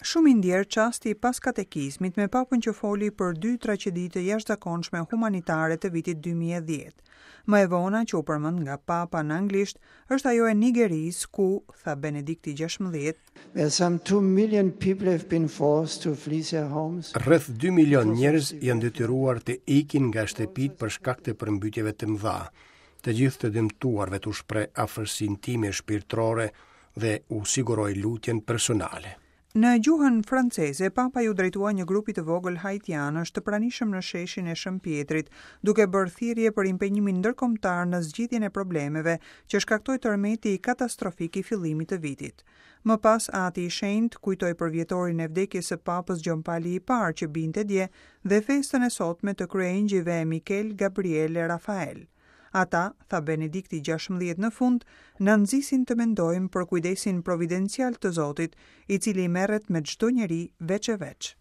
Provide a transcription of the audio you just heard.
Shumë i ndjerë çasti pas katekizmit me Papën që foli për dy tragjedi të jashtëzakonshme humanitare të vitit 2010. Më e vona që u përmend nga Papa në anglisht është ajo e Nigerisë ku, tha Benedikti XVI, Where some 2 million people have been forced to flee their homes. Rreth 2 milion njerëz janë detyruar të ikin nga shtëpitë për shkak të përmbytjeve të mëdha. Të gjithë të dëmtuarve t'u shpreh afërsinë time shpirtërore dhe u siguroj lutjen personale. Në gjuhën franceze, Papa iu drejtua një grupi të vogël haitianësh të pranishëm në sheshin e Shën Pjetrit, duke bërë thirrje për impenjimin ndërkombëtar në zgjidhjen e problemeve që shkaktoi tërmeti katastrofik i fillimit të vitit. Më pas, Ati i Shenjtë kujtoi përvjetorin e vdekjes së Papës Gjon Pali i Parë që binte dje dhe festën e sotme të kryengjëjve Mikel, Gabriel e Rafael. Ata, tha Benedikti XVI në fund, na nxisin të mendojmë për kujdesin providencial të Zotit, i cili merret me çdo njeri veç e veç.